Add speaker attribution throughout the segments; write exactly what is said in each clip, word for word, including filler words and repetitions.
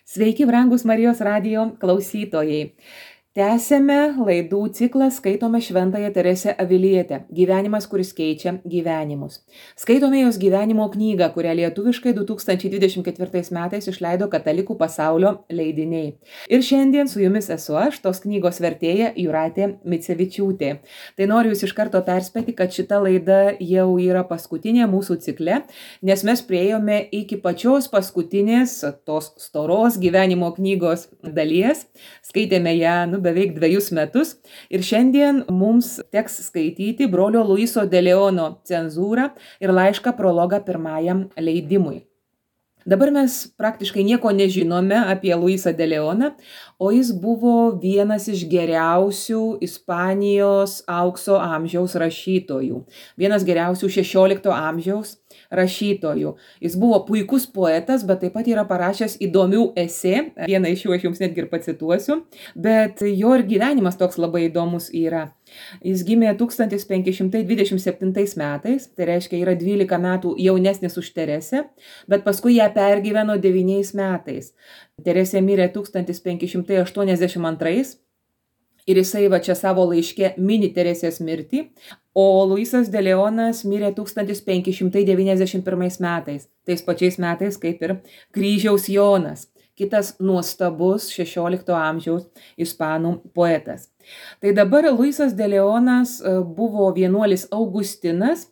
Speaker 1: Sveiki, brangus Marijos radijo klausytojai. Tęsėme laidų ciklą Skaitome Šventąją Teresę Avilietę. Gyvenimas, kuris keičia gyvenimus. Skaitome jos gyvenimo knygą, kurią lietuviškai du tūkstančiai dvidešimt ketvirtais metais išleido Katalikų pasaulio leidiniai. Ir šiandien su jumis esu aš, tos knygos vertėja Jūratė Micevičiūtė. Tai noriu jūs iš karto perspėti, kad šita laida jau yra paskutinė mūsų cikle, nes mes priėjome iki pačios paskutinės tos storos gyvenimo knygos dalies. Skaitėme ją, nu, beveik dviejus metus ir šiandien mums teks skaityti brolio Luiso de Leono cenzūrą ir laišką prologą pirmajam leidimui. Dabar mes praktiškai nieko nežinome apie Luisą de Leoną, o jis buvo vienas iš geriausių Ispanijos aukso amžiaus rašytojų, vienas geriausių šešiolikto amžiaus rašytojų. Jis buvo puikus poetas, bet taip pat yra parašęs įdomių esė, vieną iš jų aš jums netgi ir pacituosiu, bet jo ir gyvenimas toks labai įdomus yra. Jis gimė tūkstantis penki šimtai dvidešimt septintais metais, tai reiškia yra dvylika metų jaunesnis už Teresę, bet paskui ją pergyveno devyniais metais. Teresė mirė tūkstantis penki šimtai aštuoniasdešimt antrais ir jisai va čia savo laiške mini Teresės mirtį, o Luisas de Leonas mirė tūkstantis penki šimtai devyniasdešimt pirmais metais, tais pačiais metais kaip ir Kryžiaus Jonas, kitas nuostabus šešiolikto amžiaus ispanų poetas. Tai dabar Luisas de Leonas buvo vienuolis Augustinas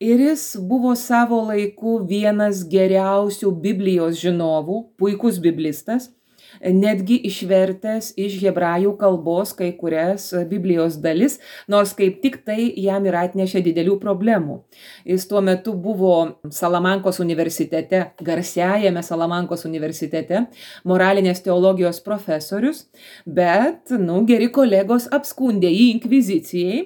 Speaker 1: ir jis buvo savo laiku vienas geriausių Biblijos žinovų, puikus biblistas, netgi išvertęs iš hebrajų kalbos kai kurias Biblijos dalis, nors kaip tik tai jam ir atnešė didelių problemų. Jis tuo metu buvo Salamankos universitete, garsiajame Salamankos universitete, moralinės teologijos profesorius, bet, nu, geri kolegos apskundė jį inkvizicijai,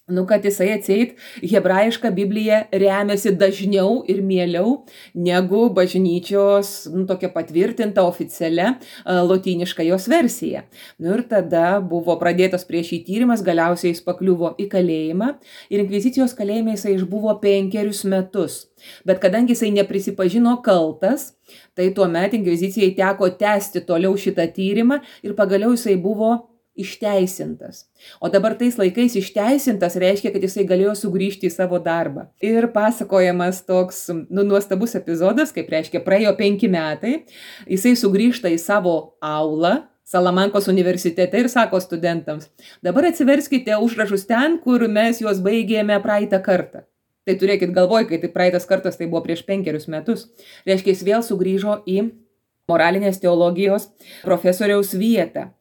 Speaker 1: nu, kad jisai atseit hebrajišką Bibliją remiasi dažniau ir mieliau negu bažnyčios, nu, tokia patvirtinta oficialia lotyniška jos versija. Nu, ir tada buvo pradėtas prieš jį tyrimas, galiausiai jis pakliuvo į kalėjimą ir inkvizicijos kalėjime jisai išbuvo penkerius metus. Bet kadangi jisai neprisipažino kaltas, tai tuomet inkvizicijai teko tęsti toliau šitą tyrimą ir pagaliau jisai buvo išteisintas. O dabar tais laikais išteisintas reiškia, kad jisai galėjo sugrįžti į savo darbą. Ir pasakojamas toks, nu, nuostabus epizodas, kaip reiškia, praėjo penki metai, jisai sugrįžta į savo aulą Salamankos universitete ir sako studentams, dabar atsiverskite užrašus ten, kur mes juos baigėme praeitą kartą. Tai turėkit galvoj, kai tai praeitas kartas tai buvo prieš penkerius metus. Reiškia, jis vėl sugrįžo į moralinės teologijos profesoriaus vietą.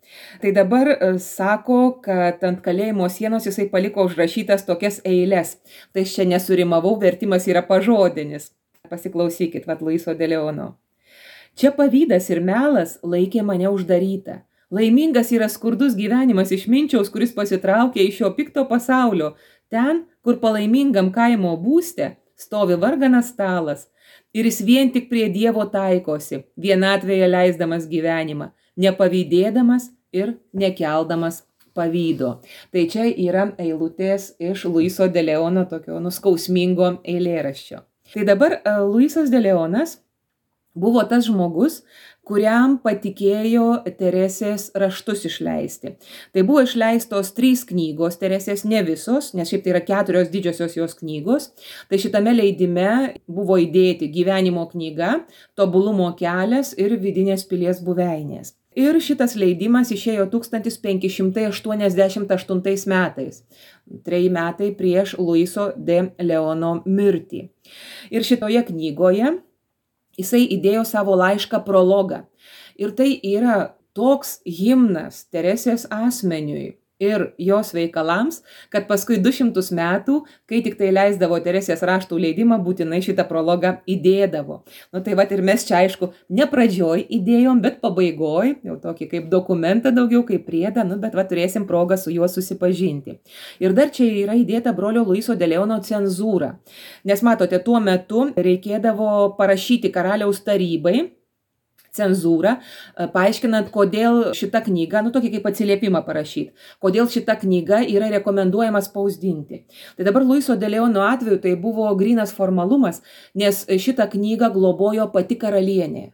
Speaker 1: Tai dabar sako, kad ant kalėjimo sienos jisai paliko užrašytas tokias eiles. Tai čia nesurimavau, vertimas yra pažodinis. Pasiklausykit, vat Luiso de Leono. Čia pavydas ir melas laikė mane uždarytą. Laimingas yra skurdus gyvenimas išminčiaus, kuris pasitraukė iš šio pikto pasaulio. Ten, kur palaimingam kaimo būste stovi varganas stalas. Ir jis vien tik prie Dievo taikosi, vienatvėje leisdamas gyvenimą, nepavydėdamas ir nekeldamas pavydo. Tai čia yra eilutės iš Luiso de Leono tokio nuskausmingo eilėraščio. Tai dabar Luisas de Leonas buvo tas žmogus, kuriam patikėjo Teresės raštus išleisti. Tai buvo išleistos trys knygos Teresės, ne visos, nes šiaip tai yra keturios didžiosios jos knygos. Tai šitame leidime buvo įdėti gyvenimo knyga, tobulumo kelias ir vidinės pilies buveinės. Ir šitas leidimas išėjo tūkstantis penki šimtai aštuoniasdešimt aštuntais metais, treji metai prieš Luiso de Leono mirtį. Ir šitoje knygoje jisai įdėjo savo laišką prologą. Ir tai yra toks himnas Teresės asmeniui ir jos veikalams, kad paskui du šimtus metų, kai tik tai leisdavo Teresės raštų leidimą, būtinai šitą prologą įdėdavo. Nu tai vat ir mes čia, aišku, ne pradžioj įdėjom, bet pabaigoj, jau tokį kaip dokumentą daugiau, kaip priedą, nu bet va turėsim progą su juo susipažinti. Ir dar čia yra įdėta brolio Luiso de Leono cenzūra. Nes matote, tuo metu reikėdavo parašyti karaliaus tarybai cenzūrą, paaiškinant, kodėl šita knyga, nu tokį kaip atsiliepimą parašyti, kodėl šita knyga yra rekomenduojama spausdinti. Tai dabar Luiso de Leono atveju tai buvo grynas formalumas, nes šitą knygą globojo pati karalienė.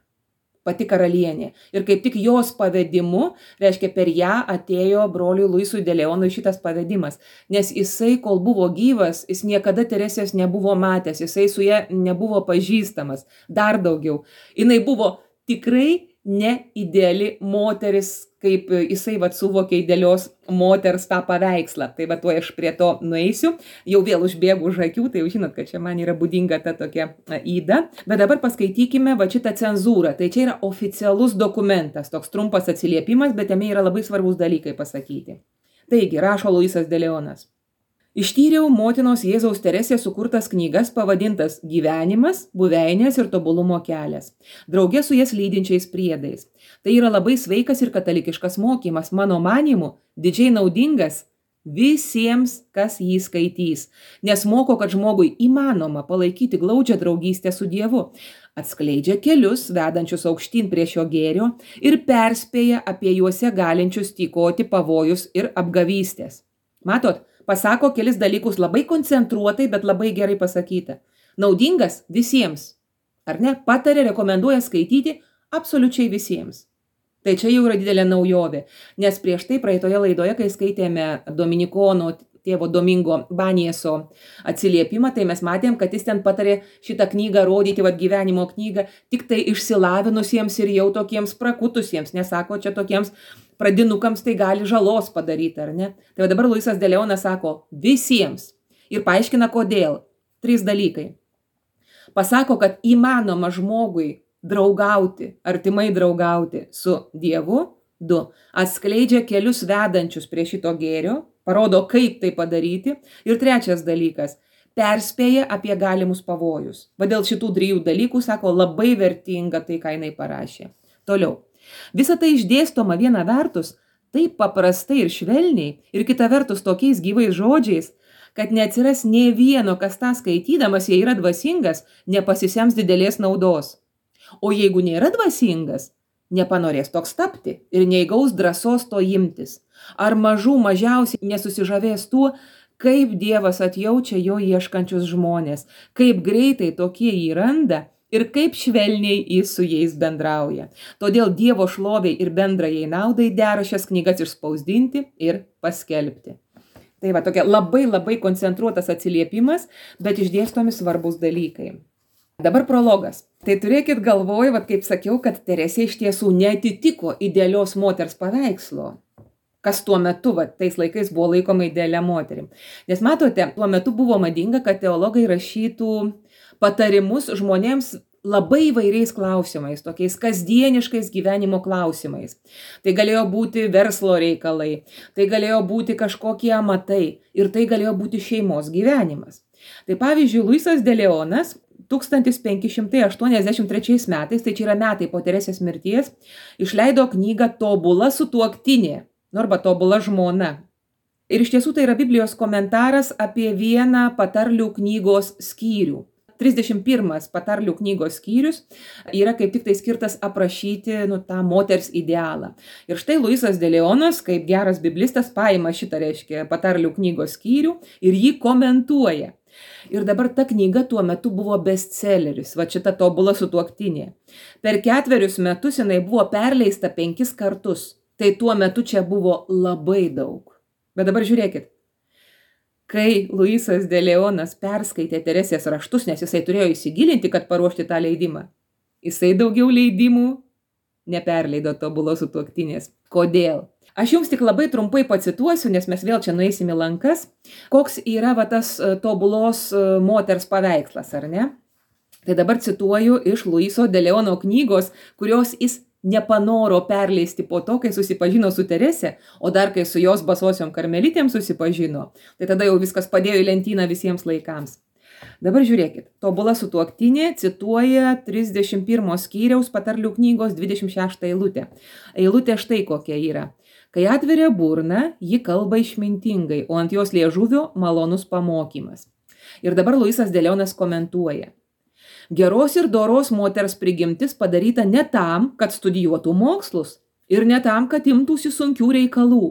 Speaker 1: pati karalienė. Ir kaip tik jos pavedimu, reiškia, per ją atėjo broliui Luisui de Leonui šitas pavedimas. Nes jisai, kol buvo gyvas, jis niekada Teresės nebuvo matęs, jisai su ja nebuvo pažįstamas. Dar daugiau. Jinai buvo tikrai neideali moteris, kaip jisai vat suvokė idealios moters tą paveikslą. Tai va tuo aš prie to nueisiu. Jau vėl užbėgu už akių, tai jau žinot, kad čia man yra būdinga ta tokia yda. Bet dabar paskaitykime va šitą cenzūrą. Tai čia yra oficialus dokumentas, toks trumpas atsiliepimas, bet jame yra labai svarbus dalykai pasakyti. Taigi, rašo Luisas de Leonas. Ištyriau motinos Jėzaus Teresės sukurtas knygas pavadintas Gyvenimas, buveinės ir tobulumo kelias, drauge su jas lydinčiais priedais. Tai yra labai sveikas ir katalikiškas mokymas, mano manymu, didžiai naudingas visiems, kas jį skaitys, nes moko, kad žmogui įmanoma palaikyti glaudžią draugystę su Dievu, atskleidžia kelius, vedančius aukštyn prie šio gėrio ir perspėja apie juose galinčius tykoti pavojus ir apgavystės. Matot? Pasako kelis dalykus labai koncentruotai, bet labai gerai pasakyta. Naudingas visiems. Ar ne? Patarė, rekomenduoja skaityti absoliučiai visiems. Tai čia jau yra didelė naujovė. Nes prieš tai praeitoje laidoje, kai skaitėme Dominikono tėvo Domingo Banieso atsiliepimą, tai mes matėm, kad jis ten patarė šitą knygą rodyti, vat gyvenimo knygą, tik tai išsilavinusiems ir jau tokiems prakutusiems. Nesako, čia tokiems pradinukams tai gali žalos padaryti, ar ne? Tai dabar Luisas de Leonas sako visiems ir paaiškina kodėl. Trys dalykai. Pasako, kad įmanoma žmogui draugauti, artimai draugauti su Dievu. Du. Atskleidžia kelius vedančius prie šito gėrio, parodo, kaip tai padaryti. Ir trečias dalykas. Perspėja apie galimus pavojus. Va dėl šitų trijų dalykų, sako, labai vertinga tai, ką jinai parašė. Toliau. Visa tai išdėstoma viena vertus taip paprastai ir švelniai ir kita vertus tokiais gyvais žodžiais, kad neatsiras nė vieno, kas tą skaitydamas, jei yra dvasingas, nepasisems didelės naudos. O jeigu nėra dvasingas, nepanorės toks tapti ir neįgaus drąsos to imtis. Ar mažų mažiausiai nesusižavės tuo, kaip Dievas atjaučia jo ieškančius žmonės, kaip greitai tokie jį randa, ir kaip švelniai jis su jais bendrauja. Todėl Dievo šloviai ir bendrajai naudai dera šias knygas išspausdinti ir paskelbti. Tai va, tokia labai labai koncentruotas atsiliepimas, bet išdėstomi svarbus dalykai. Dabar prologas. Tai turėkit galvoj, va, kaip sakiau, kad Teresė iš tiesų neatitiko idealios moters paveikslo, kas tuo metu, va, tais laikais buvo laikoma idealia moterim. Nes matote, tuo metu buvo madinga, kad teologai rašytų patarimus žmonėms labai įvairiais klausimais, tokiais kasdieniškais gyvenimo klausimais. Tai galėjo būti verslo reikalai, tai galėjo būti kažkokie amatai ir tai galėjo būti šeimos gyvenimas. Tai pavyzdžiui, Luisas de Leonas tūkstantis penki šimtai aštuoniasdešimt trečiais metais, tai čia yra metai po Teresės mirties, išleido knygą Tobula sutuoktinė, arba Tobula žmona. Ir iš tiesų tai yra Biblijos komentaras apie vieną patarlių knygos skyrių. trisdešimt pirmas patarlių knygos skyrius yra kaip tik tai skirtas aprašyti nu, tą moters idealą. Ir štai Luisas de Leonas, kaip geras biblistas, paima šitą, reiškia, patarlių knygos skyrių ir jį komentuoja. Ir dabar ta knyga tuo metu buvo bestselleris, va šita Tobula sutuoktinė. Per ketverius metus jinai buvo perleista penkis kartus. Tai tuo metu čia buvo labai daug. Bet dabar žiūrėkit. Kai Luisas de Leonas perskaitė Teresės raštus, nes jisai turėjo įsigilinti, kad paruošti tą leidimą, jisai daugiau leidimų neperleido Tobulos sutuoktinės. Kodėl? Aš jums tik labai trumpai pacituosiu, nes mes vėl čia nueisim į lankas, koks yra va, tas Tobulos moters paveikslas, ar ne? Tai dabar cituoju iš Luiso de Leono knygos, kurios jis nepanoro perleisti po to, kai susipažino su Terese, o dar kai su jos basosiom karmelitėm susipažino. Tai tada jau viskas padėjo į lentyną visiems laikams. Dabar žiūrėkit, Tobula sutuoktinė cituoja trisdešimt pirmo skyriaus patarlių knygos dvidešimt šeštą eilutę. Eilutė štai kokia yra. Kai atveria burną, ji kalba išmintingai, o ant jos liežuvio malonus pamokymas. Ir dabar Luisas de Leonas komentuoja. Geros ir doros moters prigimtis padaryta ne tam, kad studijuotų mokslus ir ne tam, kad imtųsi sunkių reikalų,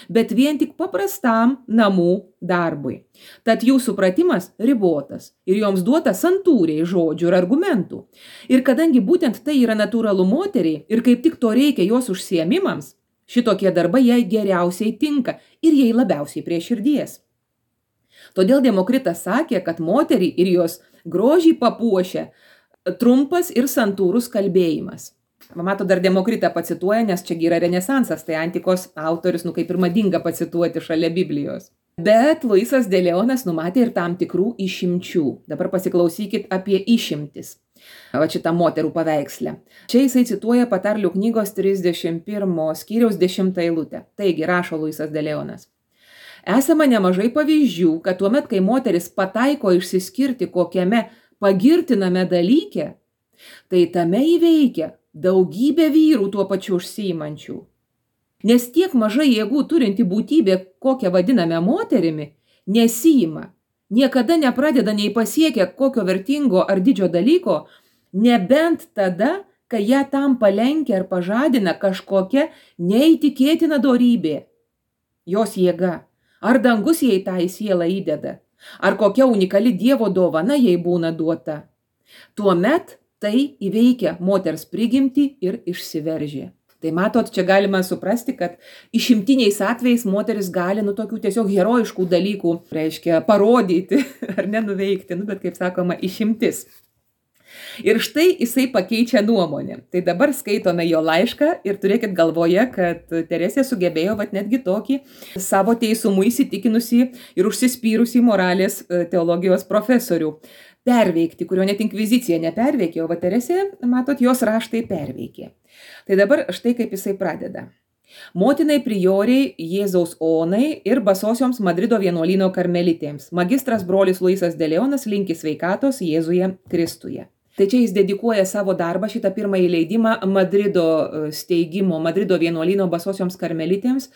Speaker 1: bet vien tik paprastam namų darbui. Tad jų supratimas ribotas ir joms duota santūriai žodžių ir argumentų. Ir kadangi būtent tai yra natūralu moteriai ir kaip tik to reikia jos užsiėmimams, šitokie darbai jai geriausiai tinka ir jai labiausiai prie širdies. Todėl Demokritas sakė, kad moterį ir jos grožį papuošia trumpas ir santūrus kalbėjimas. Mato, dar Demokritą pacituoja, nes čia yra Renesansas, tai antikos autorius, nu kaip ir madinga pacituoti šalia Biblijos. Bet Luisas de Leonas numatė ir tam tikrų išimčių. Dabar pasiklausykit apie išimtis. Va šitą moterų paveikslę. Čia jisai cituoja Patarlių knygos trisdešimt pirmo skyriaus dešimtą eilutę. Taigi, rašo Luisas de Leonas. Esama nemažai pavyzdžių, kad tuomet, kai moteris pataiko išsiskirti kokiame pagirtiname dalyke, tai tame įveikia daugybė vyrų tuo pačiu užsiimančių. Nes tiek mažai jėgų turinti būtybė, kokią vadiname moterimi, nesijima, niekada nepradeda nei pasiekia kokio vertingo ar didžio dalyko, nebent tada, kai ją tam palenkia ar pažadina kažkokia neįtikėtina dorybė. Jos jėga, ar dangus jai tą į sielą įdeda, ar kokia unikali Dievo dovana jai būna duota. Tuomet tai įveikia moters prigimtį ir išsiveržė. Tai matot, čia galima suprasti, kad išimtiniais atvejais moteris gali nu tokių tiesiog herojiškų dalykų, reiškia, parodyti ar nenuveikti, nu, bet kaip sakoma, išimtis. Ir štai jisai pakeičia nuomonę. Tai dabar skaitome jo laišką ir turėkit galvoje, kad Teresė sugebėjo vat netgi tokį savo teisumu įsitikinusi ir užsispyrusi moralės teologijos profesorių perveikti, kurio net inkvizicija neperveikė, o va Teresė, matot, jos raštai perveikė. Tai dabar štai kaip jisai pradeda. Motinai prioriai Jėzaus Onai ir basosioms Madrido vienuolyno karmelitėms. Magistras brolis Luisas de Leonas linki sveikatos Jėzuje Kristuje. Tai čia jis dedikuoja savo darbą, šitą pirmąjį leidimą Madrido steigimo, Madrido vienuolyno basosioms karmelitėms,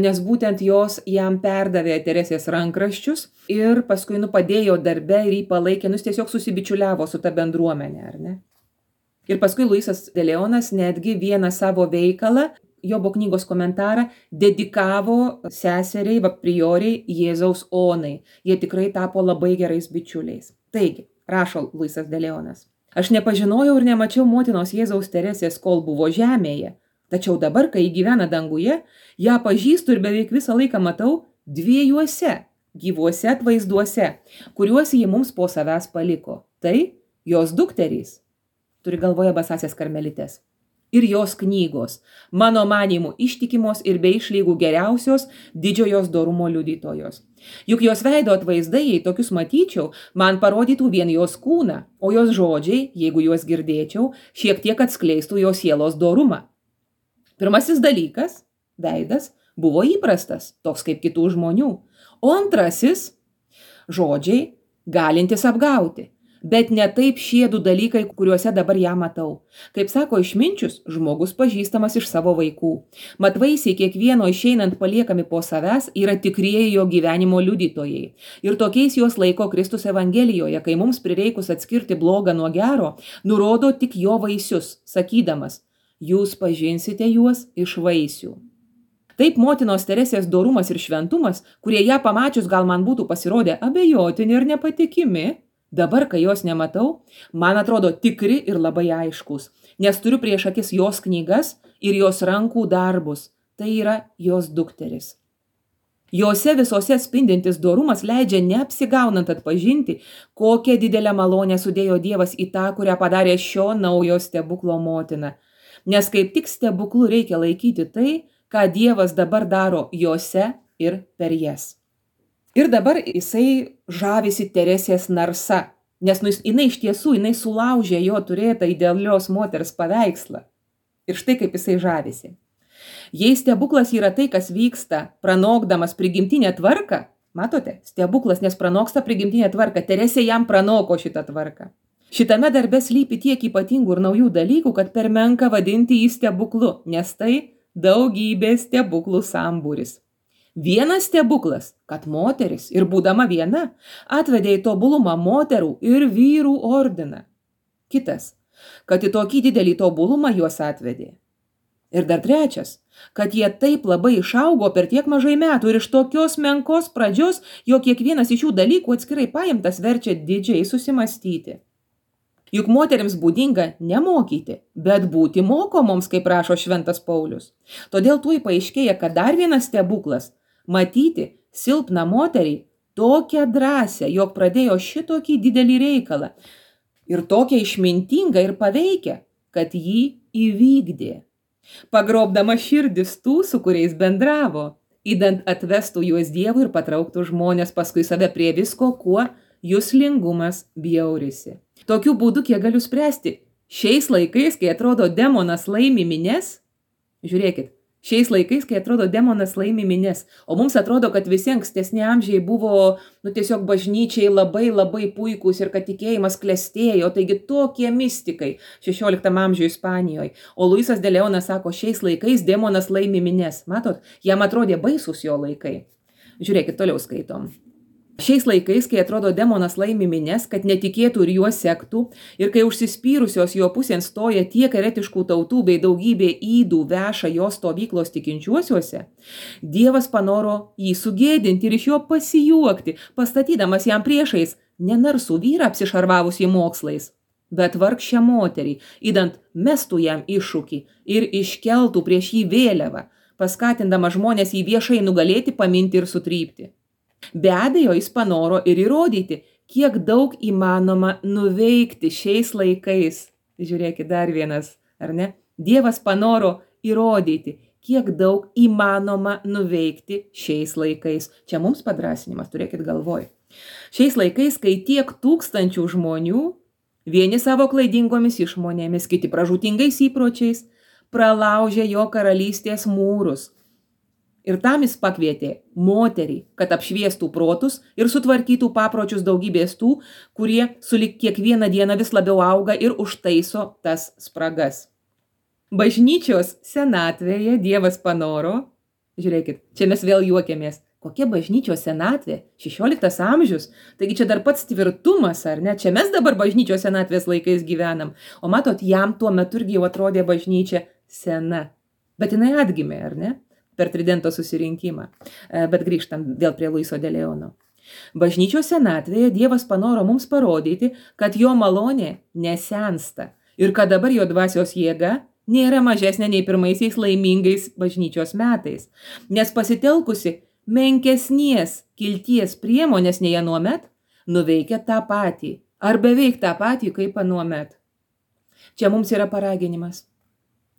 Speaker 1: nes būtent jos jam perdavė Teresės rankraščius ir paskui nu padėjo darbe ir jį palaikė, nu tiesiog susibičiuliavo su ta bendruomenė, ar ne? Ir paskui Luisas de Leonas netgi vieną savo veikalą, Jobo knygos komentarą, dedikavo seseriai, va prioriai Jėzaus Onai. Jie tikrai tapo labai gerais bičiuliais. Taigi, rašo Luisas de Leonas. Aš nepažinojau ir nemačiau motinos Jėzaus Teresės, kol buvo žemėje. Tačiau dabar, kai gyvena danguje, ją pažįstu ir beveik visą laiką matau dviejuose gyvuose atvaizduose, kuriuos ji mums po savęs paliko. Tai jos dukterys, turi galvoje basasias karmelitės, ir jos knygos, mano manymu ištikimos ir be išlygų geriausios didžiojos dorumo liudytojos. Juk jos veido atvaizdai, jei tokius matyčiau, man parodytų vien jos kūną, o jos žodžiai, jeigu juos girdėčiau, šiek tiek atskleistų jos sielos dorumą. Pirmasis dalykas, veidas, buvo įprastas, toks kaip kitų žmonių, o antrasis, žodžiai, galintis apgauti. Bet ne taip šie du dalykai, kuriuose dabar ją matau. Kaip sako išminčius, žmogus pažįstamas iš savo vaikų. Mat vaisiai kiekvieno išeinant paliekami po savęs yra tikrieji jo gyvenimo liudytojai. Ir tokiais juos laiko Kristus Evangelijoje, kai mums prireikus atskirti blogą nuo gero, nurodo tik jo vaisius, sakydamas, jūs pažinsite juos iš vaisių. Taip motinos Teresės dorumas ir šventumas, kurie ją pamačius gal man būtų pasirodę abejotini ir nepatikimi, dabar, kai jos nematau, man atrodo tikri ir labai aiškus, nes turiu prieš akis jos knygas ir jos rankų darbus, tai yra jos dukteris. Jose visose spindintis dorumas leidžia neapsigaunant atpažinti, kokią didelę malonę sudėjo Dievas į tą, kurią padarė šio naujo stebuklo motina. Nes kaip tik stebuklu reikia laikyti tai, ką Dievas dabar daro jose ir per jas. Ir dabar jisai žavisi Teresės narsa, nes nu, jinai iš tiesų, jinai sulaužė jo turėtą idealios moters paveikslą. Ir štai kaip jisai žavisi. Jei stebuklas yra tai, kas vyksta, pranokdamas prigimtinę tvarką, matote, stebuklas, nes pranoksta prigimtinę tvarką, Teresė jam pranoko šitą tvarką. Šitame darbe slypi tiek ypatingų ir naujų dalykų, kad per menka vadinti jį stebuklu, nes tai daugybė stebuklų sambūris. Vienas stebuklas, kad moteris ir būdama viena atvedė į tobulumą moterų ir vyrų ordiną. Kitas, kad į tokį didelį tobulumą juos atvedė Ir dar trečias, kad jie taip labai išaugo per tiek mažai metų ir iš tokios menkos pradžios, jog kiekvienas iš šių dalykų atskirai paimtas verčia didžiai susimastyti. Juk moterims būdinga nemokyti, bet būti mokomoms, kaip rašo šventas Paulius. Todėl tuoj paaiškėja, kad dar vienas stebuklas – matyti silpną moterį tokią drąsią, jog pradėjo šitokį didelį reikalą ir tokią išmintingą ir paveikę, kad jį įvykdė. Pagrobdama širdis tų, su kuriais bendravo, idant atvestų juos Dievui ir patrauktų žmonės paskui save prie visko, kuo juslingumas bjaurisi. Tokiu būdu, kiek galiu spręsti, šiais laikais, kai atrodo demonas laimi mines, žiūrėkit, šiais laikais, kai atrodo demonas laimi mines, o mums atrodo, kad visi ankstesni amžiai buvo, nu, tiesiog bažnyčiai labai labai puikūs ir kad tikėjimas klestėjo, taigi tokie mistikai šešioliktam amžiuje Ispanijoje. O Luisas de Leonas sako, šiais laikais demonas laimi mines. Matot, jam atrodė baisus jo laikai. Žiūrėkit, toliau skaitom. Šiais laikais, kai atrodo demonas laimi mines, kad netikėtų ir juos sektų, ir kai užsispyrusios jo pusėn stoja tiek eretiškų tautų bei daugybė įdų veša jo stovyklos tikinčiuosiuose, Dievas panoro jį sugėdinti ir iš jo pasijuokti, pastatydamas jam priešais nenarsų vyrą apsišarvavusį mokslais, bet vargšę moterį, idant mestų jam iššūkį ir iškeltų prieš jį vėliavą, paskatindama žmonės jį viešai nugalėti, paminti ir sutrypti. Be abejo, jis panoro ir įrodyti, kiek daug įmanoma nuveikti šiais laikais. Žiūrėkit, dar vienas, ar ne? Dievas panoro įrodyti, kiek daug įmanoma nuveikti šiais laikais. Čia mums padrasinimas, turėkit galvoj. Šiais laikais, kai tiek tūkstančių žmonių, vieni savo klaidingomis išmonėmis, kiti pražūtingais įpročiais, pralaužė jo karalystės mūrus. Ir tam jis pakvietė moterį, kad apšviestų protus ir sutvarkytų papročius daugybės tų, kurie sulig kiekvieną dieną vis labiau auga ir užtaiso tas spragas. Bažnyčios senatvėje Dievas panoro, žiūrėkit, čia mes vėl juokiamės, kokia bažnyčios senatvė, šešioliktas amžius, taigi čia dar pats tvirtumas, ar ne, čia mes dabar bažnyčios senatvės laikais gyvenam, o matot, jam tuo metu irgi jau atrodė bažnyčia sena, bet jinai atgimė, ar ne? Per Tridento susirinkimą. Bet grįžtam vėl prie Luiso de Leono. Bažnyčios senatvėje Dievas panoro mums parodyti, kad jo malonė nesensta ir kad dabar jo dvasios jėga nėra mažesnė nei pirmaisiais laimingais bažnyčios metais, nes pasitelkusi menkesnės kilties priemonės nei anuomet, nuveikia tą patį, ar beveik tą patį kaip anuomet. Čia mums yra paraginimas.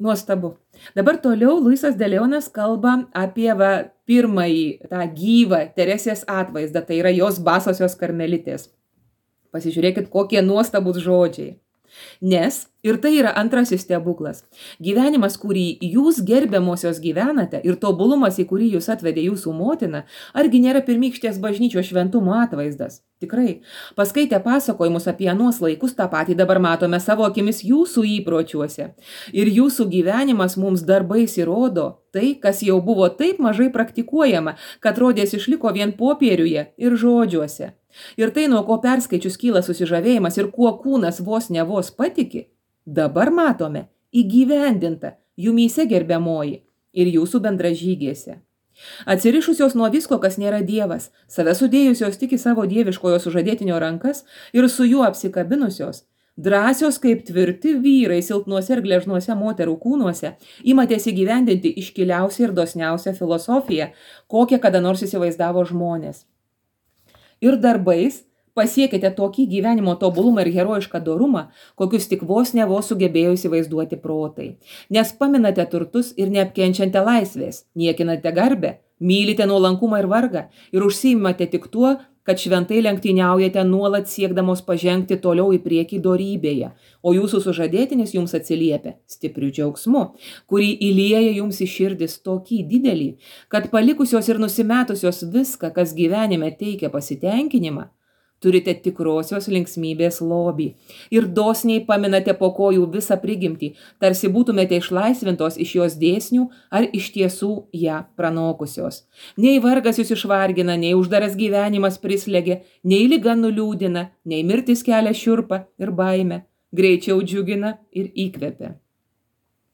Speaker 1: Nuostabu. Dabar toliau Luisas de Leonas kalba apie va, pirmąjį tą gyvą Teresės atvaizdą, tai yra jos basosios karmelitės. Pasižiūrėkit, kokie nuostabus žodžiai. Nes, ir tai yra antrasis stebuklas, gyvenimas, kurį jūs gerbiamosios gyvenate ir tobulumas, į kurį jūs atvedė jūsų motina, argi nėra pirmykštės bažnyčios šventumo atvaizdas? Tikrai, paskaitę pasakojimus apie anuos laikus, tą patį dabar matome savo akimis jūsų įpročiuose. Ir jūsų gyvenimas mums darbais įrodo tai, kas jau buvo taip mažai praktikuojama, kad rodės išliko vien popieriuje ir žodžiuose. Ir tai, nuo ko perskaičius kyla susižavėjimas ir kuo kūnas vos ne vos patiki, dabar matome įgyvendinta jumyse gerbiamoji ir jūsų bendražygėse. Atsirišusios nuo visko, kas nėra Dievas, save sudėjusios tik į savo dieviškojo sužadėtinio rankas ir su juo apsikabinusios, drąsios kaip tvirti vyrai silpnuose ir gležnuose moterų kūnuose, imatės įgyvendinti iškiliausią ir dosniausią filosofiją, kokią kada nors įsivaizdavo žmonės. Ir darbais pasiekite tokį gyvenimo tobulumą ir herojišką dorumą, kokius tik vos ne vos sugebėjo įsivaizduoti protai. Nes paminate turtus ir neapkenčiate laisvės, niekinate garbę, mylite nuolankumą ir vargą ir užsiimate tik tuo, kad šventai lenktyniaujate nuolat siekdamos pažengti toliau į priekį dorybėje, o jūsų sužadėtinis jums atsiliepia stipriu džiaugsmu, kurį įlieja jums į širdis tokį didelį, kad palikusios ir nusimetusios viską, kas gyvenime teikia pasitenkinimą, turite tikrosios linksmybės lobį ir dosniai paminate po kojų visą prigimtį, tarsi būtumėte išlaisvintos iš jos dėsnių ar iš tiesų ją pranokusios. Nei vargas jūs išvargina, nei uždaras gyvenimas prislegia, nei liga nuliūdina, nei mirtis kelia šiurpą ir baimę, greičiau džiugina ir įkvepia.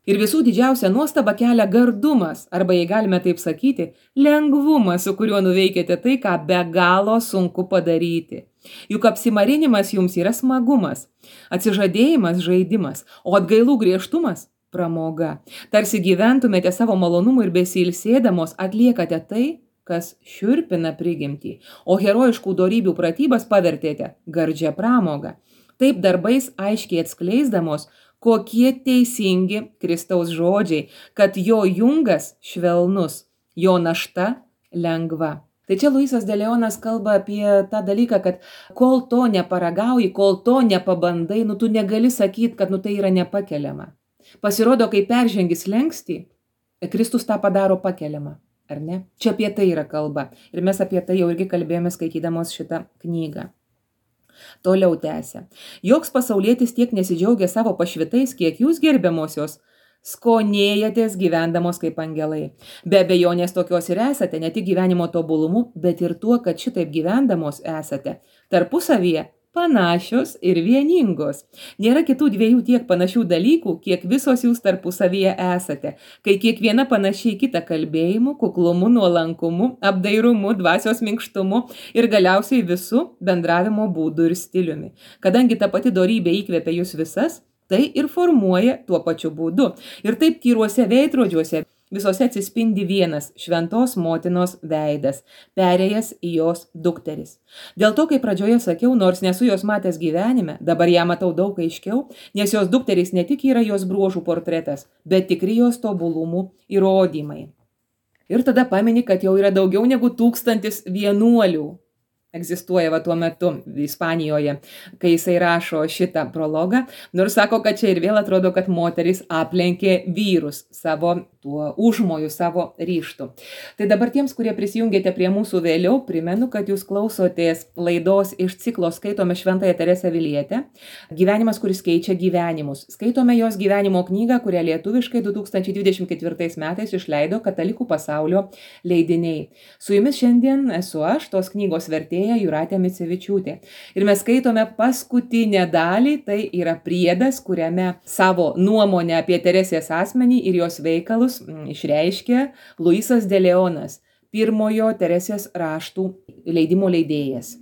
Speaker 1: Ir visų didžiausia nuostaba kelia gardumas, arba jei galime taip sakyti, lengvumas, su kuriuo nuveikėte tai, ką be galo sunku padaryti. Juk apsimarinimas jums yra smagumas, atsižadėjimas žaidimas, o atgailų griežtumas pramoga. Tarsi gyventumėte savo malonumu ir besilsėdamos atliekate tai, kas šiurpina prigimtį, o herojiškų dorybių pratybas pavertėte gardžią pramogą. Taip darbais aiškiai atskleisdamos, kokie teisingi Kristaus žodžiai, kad jo jungas švelnus, jo našta lengva. Tai čia Luisas de Leonas kalba apie tą dalyką, kad kol to neparagauji, kol to nepabandai, nu tu negali sakyti, kad nu tai yra nepakeliama. Pasirodo, kai peržengi slenkstį, Kristus tą padaro pakeliamą, ar ne? Čia apie tai yra kalba. Ir mes apie tai jau irgi kalbėjome skaitydamos šitą knygą. Toliau tęsia. Joks pasaulietis tiek nesidžiaugia savo pašvitais, kiek jūs gerbiamosios skonėjatės gyvendamos kaip angelai. Be abejonės tokios ir esate, ne tik gyvenimo tobulumu, bet ir tuo, kad šitaip gyvendamos esate tarpusavyje panašios ir vieningos. Nėra kitų dviejų tiek panašių dalykų, kiek visos jūs tarpusavyje esate, kai kiekviena panašiai kitą kalbėjimu, kuklumu, nuolankumu, apdairumu, dvasios minkštumu ir galiausiai visų bendravimo būdų ir stiliumi. Kadangi ta pati dorybė įkvepia jūs visas, tai ir formuoja tuo pačiu būdu. Ir taip tyruose veidrodžiuose visose atsispindi vienas šventos motinos veidas, perėjęs į jos dukteris. Dėl to, kai pradžioje sakiau, nors nesu jos matęs gyvenime, dabar ją matau daug aiškiau, nes jos dukteris ne tik yra jos bruožų portretas, bet tikri jos tobulumų įrodymai. Ir tada pamini, kad jau yra daugiau negu tūkstantis vienuolių egzistuoja va tuo metu Ispanijoje, kai jisai rašo šitą prologą, nors sako, kad čia ir vėl atrodo, kad moteris aplenkė vyrus savo tuo užmoju, savo ryštu. Tai dabar tiems, kurie prisijungėte prie mūsų vėliau, primenu, kad jūs klausotės laidos iš ciklo Skaitome Šventąją Teresę Avilietę, Gyvenimas, kuris keičia gyvenimus. Skaitome jos gyvenimo knygą, kurią lietuviškai du tūkstančiai dvidešimt ketvirtais metais išleido Katalikų pasaulio leidiniai. Su jumis šiandien esu aš, tos knygos vertėja Jūratė Micevičiūtė. Ir mes skaitome paskutinę dalį, tai yra priedas, kuriame savo nuomonę apie Teresės asmenį ir jos veikalus išreiškia Luisas de Leonas, pirmojo Teresės raštų leidimo leidėjas.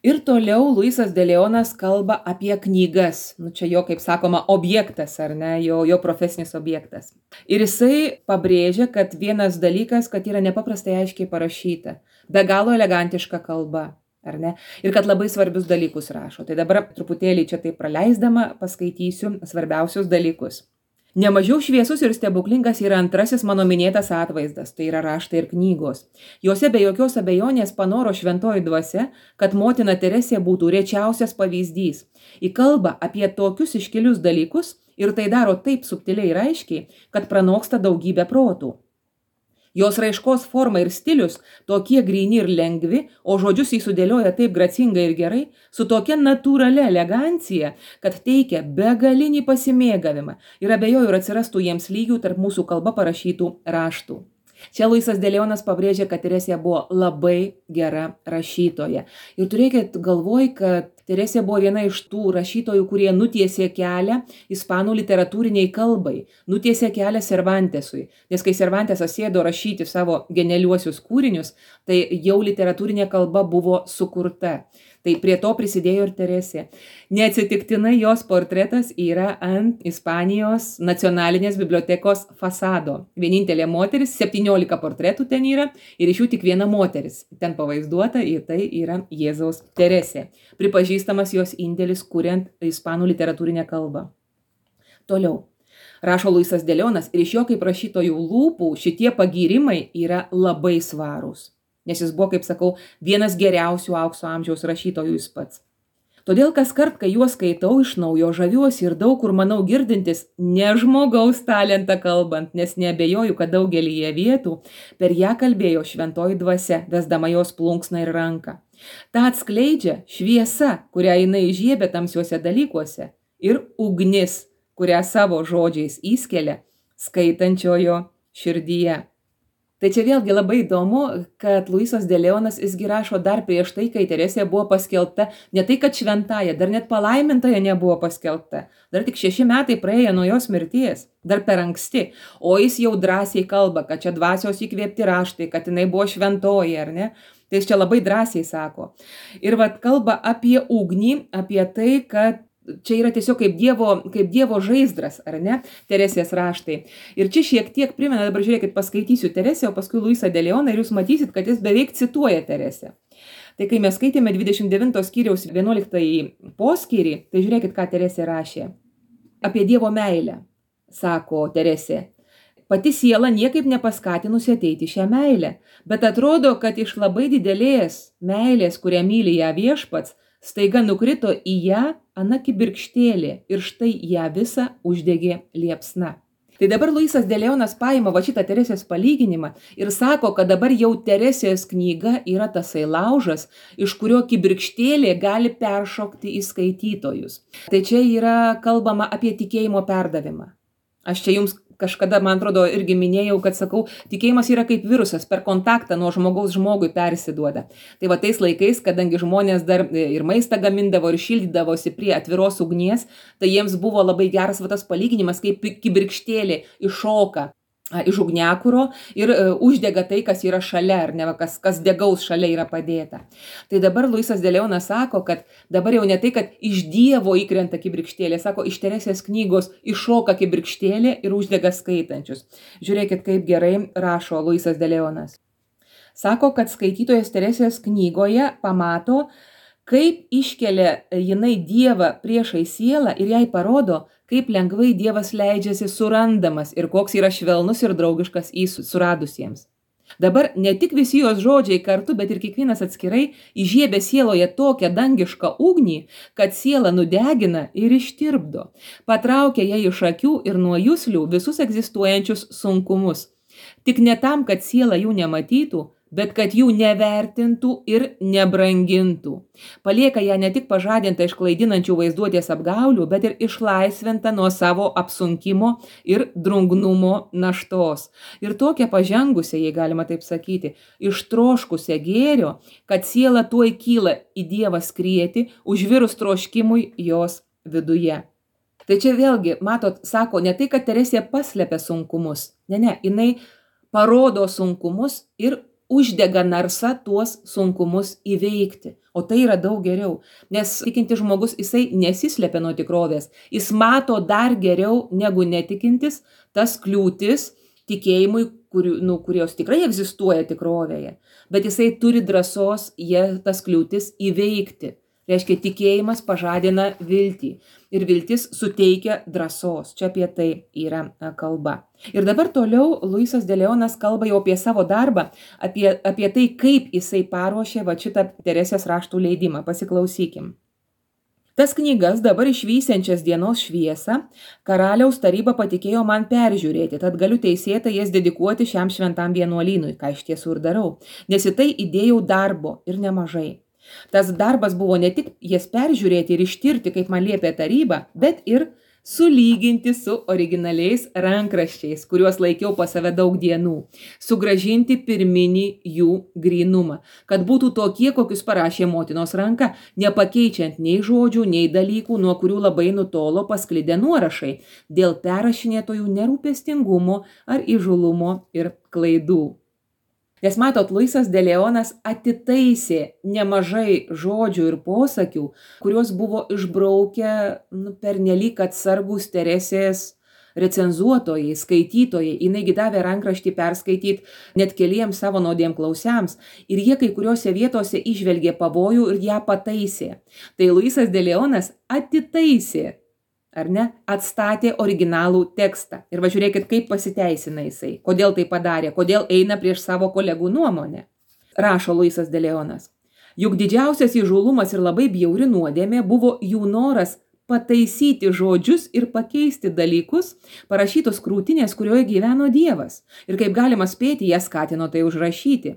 Speaker 1: Ir toliau Luisas de Leonas kalba apie knygas. Nu, čia jo, kaip sakoma, objektas, ar ne, jo, jo profesinis objektas. Ir jisai pabrėžia, kad vienas dalykas, kad yra nepaprastai aiškiai parašyta, be galo elegantiška kalba, ar ne, ir kad labai svarbius dalykus rašo. Tai dabar truputėlį čia taip praleisdama paskaitysiu svarbiausius dalykus. Nemažiau šviesus ir stebuklingas yra antrasis mano minėtas atvaizdas, tai yra raštai ir knygos. Jose be jokios abejonės panoro šventoji dvasia, kad motina Teresė būtų rečiausias pavyzdys. Į kalbą apie tokius iškilius dalykus ir tai daro taip subtiliai ir aiškiai, kad pranoksta daugybę protų. Jos raiškos forma ir stilius tokie gryni ir lengvi, o žodžius jį sudėlioja taip gracingai ir gerai, su tokia natūralia elegancija, kad teikia begalinį pasimėgavimą ir abejoju, ir atsirastų jiems lygių tarp mūsų kalba parašytų raštų. Čia Luisas de Leonas pabrėžia, kad Teresė buvo labai gera rašytoja. Ir turėkit galvoj, kad Teresė buvo viena iš tų rašytojų, kurie nutiesė kelią ispanų literatūriniai kalbai, nutiesė kelią Cervantesui. Nes kai Cervantesas sėdo rašyti savo genialiuosius kūrinius, tai jau literatūrinė kalba buvo sukurta. Tai prie to prisidėjo ir Teresė. Neatsitiktinai jos portretas yra ant Ispanijos nacionalinės bibliotekos fasado. Vienintelė moteris, septyniolika portretų ten yra ir iš jų tik viena moteris. Ten pavaizduota ir tai yra Jėzaus Teresė. Pripažįstamas jos indėlis kuriant ispanų literatūrinę kalbą. Toliau. Rašo Luisas de Leonas ir iš jo kaip rašytojų lūpų šitie pagyrimai yra labai svarūs. Nes jis buvo, kaip sakau, vienas geriausių aukso amžiaus rašytojų jis pats. Todėl kas kart, kai juos skaitau iš naujo, žaviuosi ir daug kur manau girdintis ne žmogaus talentą kalbant, nes neabejoju, kad daugelyje vietų per ją kalbėjo šventoji dvasia, vesdama jos plunksną ir ranką. Ta atskleidžia šviesa, kurią jinai įžiebė tamsiuose dalykuose, ir ugnis, kurią savo žodžiais įskelia skaitančiojo širdyje. Tai čia vėlgi labai įdomu, kad Luisas de Leonas jisgi rašo dar prieš tai, kai Teresė buvo paskelbta, ne tai, kad šventąja, dar net palaimintaja nebuvo paskelbta. Dar tik šeši metai praėjo nuo jos mirties, dar per anksti. O jis jau drąsiai kalba, kad čia dvasios įkvėpti raštai, kad jinai buvo šventoji, ar ne? Tai jis čia labai drąsiai sako. Ir vat kalba apie ugnį, apie tai, kad čia yra tiesiog kaip dievo, kaip dievo žaizdras, ar ne, Teresės raštai. Ir čia šiek tiek primena, dabar žiūrėkit, paskaitysiu Teresę, o paskui Luisą de Leoną ir jūs matysit, kad jis beveik cituoja Teresę. Tai kai mes skaitėme dvidešimt devinto skyriaus vienuoliktąjį poskyrį, tai žiūrėkit, ką Teresė rašė. Apie dievo meilę, sako Teresė. Pati siela niekaip nepaskatinusi ateiti šią meilę, bet atrodo, kad iš labai didelės meilės, kurią myli ją viešpats, staiga nukrito į ją ana kibirkštėlė ir štai ją visą uždegė liepsna. Tai dabar Luisas de Leonas paima va šitą Teresės palyginimą ir sako, kad dabar jau Teresės knyga yra tasai laužas, iš kurio kibirkštėlė gali peršokti į skaitytojus. Tai čia yra kalbama apie tikėjimo perdavimą. Aš čia jums kažkada, man atrodo, irgi minėjau, kad sakau, tikėjimas yra kaip virusas, per kontaktą nuo žmogaus žmogui persiduoda. Tai va tais laikais, kadangi žmonės dar ir maistą gamindavo ir šildydavosi prie atviros ugnies, tai jiems buvo labai geras va tas palyginimas, kaip kibirkštėlė iššoka iš ugniakuro ir uždega tai, kas yra šalia, ar ne, kas, kas degaus šalia yra padėta. Tai dabar Luisas de Leonas sako, kad dabar jau ne tai, kad iš Dievo įkrenta kibirkštėlė, sako, iš Teresės knygos iššoka kibirkštėlė ir uždega skaitančius. Žiūrėkit, kaip gerai rašo Luisas de Leonas. Sako, kad skaitytojas Teresės knygoje pamato, kaip iškelia jinai Dievą priešai sielą ir jai parodo, kaip lengvai Dievas leidžiasi surandamas ir koks yra švelnus ir draugiškas į suradusiems. Dabar ne tik visi jos žodžiai kartu, bet ir kiekvienas atskirai įžiebia sieloje tokią dangišką ugnį, kad siela nudegina ir ištirpdo, patraukia ją iš akių ir nuo juslių visus egzistuojančius sunkumus. Tik ne tam, kad siela jų nematytų, bet kad jų nevertintų ir nebrangintų. Palieka ją ne tik pažadintą iš klaidinančių vaizduotės apgaulių, bet ir išlaisvintą nuo savo apsunkimo ir drungnumo naštos. Ir tokią pažengusią, jei galima taip sakyti, ištroškusią gėrio, kad siela tuoj kyla į Dievą skrieti, užvirus troškimui jos viduje. Tai čia vėlgi, matot, sako, ne tai, kad Teresė paslepia sunkumus, ne, ne, jinai parodo sunkumus ir uždega narsa tuos sunkumus įveikti. O tai yra daug geriau, nes tikintis žmogus jisai nesislepia nuo tikrovės. Jis mato dar geriau negu netikintis tas kliūtis tikėjimui, kurių, nu, kurios tikrai egzistuoja tikrovėje. Bet jisai turi drąsos jie tas kliūtis įveikti. Reiškia, tikėjimas pažadina viltį ir viltis suteikia drąsos. Čia apie tai yra kalba. Ir dabar toliau Luisas de Leonas kalba jau apie savo darbą, apie, apie tai, kaip jisai paruošė va šitą Teresės raštų leidimą. Pasiklausykim. Tas knygas dabar išvysiančias dienos šviesą karaliaus taryba patikėjo man peržiūrėti, tad galiu teisėtai jas dedikuoti šiam šventam vienuolynui, ką iš tiesų ir darau, nes į tai įdėjau darbo ir nemažai. Tas darbas buvo ne tik jas peržiūrėti ir ištirti, kaip man liepė taryba, bet ir sulyginti su originaliais rankraščiais, kuriuos laikiau pas save daug dienų, sugrąžinti pirminį jų grynumą, kad būtų tokie, kokius parašė motinos ranka, nepakeičiant nei žodžių, nei dalykų, nuo kurių labai nutolo pasklidę nuorašai, dėl perrašinėtojų nerūpestingumo ar įžulumo ir klaidų. Nes matot, Luisas de Leonas atitaisė nemažai žodžių ir posakių, kuriuos buvo išbraukę nu, pernelyg atsargūs Teresės recenzuotojai, skaitytojai. Jinai davė rankraštį perskaityti net keliems savo naudiem klausiams ir jie kai kuriuose vietose įžvelgė pavojų ir ją pataisė. Tai Luisas de Leonas atitaisė, ar ne, atstatė originalų tekstą. Ir va žiūrėkit, kaip pasiteisina jisai, kodėl tai padarė, kodėl eina prieš savo kolegų nuomonę. Rašo Luisas de Leonas. Juk didžiausias įžūlumas ir labai bjauri nuodėmė buvo jų noras pataisyti žodžius ir pakeisti dalykus, parašytos krūtinės, kurioje gyveno Dievas. Ir kaip galima spėti, jie skatino tai užrašyti.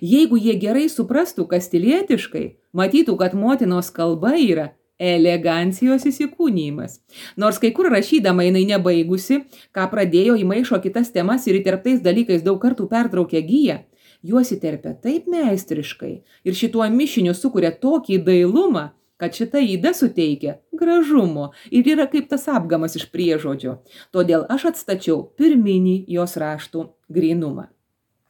Speaker 1: Jeigu jie gerai suprastų kastilietiškai, matytų, kad motinos kalba yra elegancijos įsikūnymas. Nors kai kur rašydama jinai nebaigusi, ką pradėjo įmaišo kitas temas ir įterptais dalykais daug kartų pertraukė giją, juos įterpia taip meistriškai ir šituo mišiniu sukuria tokį dailumą, kad šita yda suteikia gražumo ir yra kaip tas apgamas iš priežodžio. Todėl aš atstačiau pirminį jos raštų grynumą.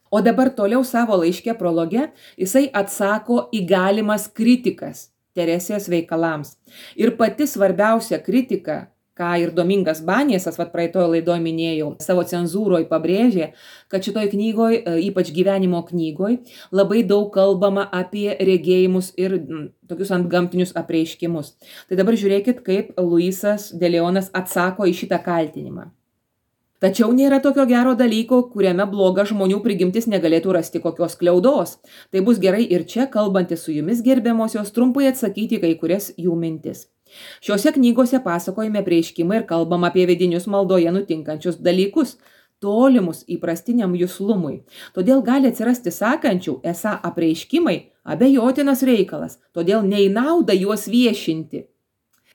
Speaker 1: O dabar toliau savo laiške prologe jisai atsako į galimas kritikas Teresės veikalams. Ir pati svarbiausia kritika, ką ir Domingas Baniesas, vat praeitoje laidoje minėjau, savo cenzūroje pabrėžė, kad šitoj knygoje, ypač gyvenimo knygoje, labai daug kalbama apie regėjimus ir m, tokius antgamtinius apreiškimus. Tai dabar žiūrėkit, kaip Luisas de Leonas atsako į šitą kaltinimą. Tačiau nėra tokio gero dalyko, kuriame bloga žmonių prigimtis negalėtų rasti kokios kliaudos. Tai bus gerai ir čia, kalbantis su jumis gerbiamosios, trumpai atsakyti kai kurias jų mintis. Šiuose knygose pasakojame prieškimą ir kalbam apie vidinius maldoje nutinkančius dalykus, tolimus įprastiniam juslumui. Todėl gali atsirasti sakančių, esą apreiškimai abejotinas reikalas, todėl nei nauda juos viešinti.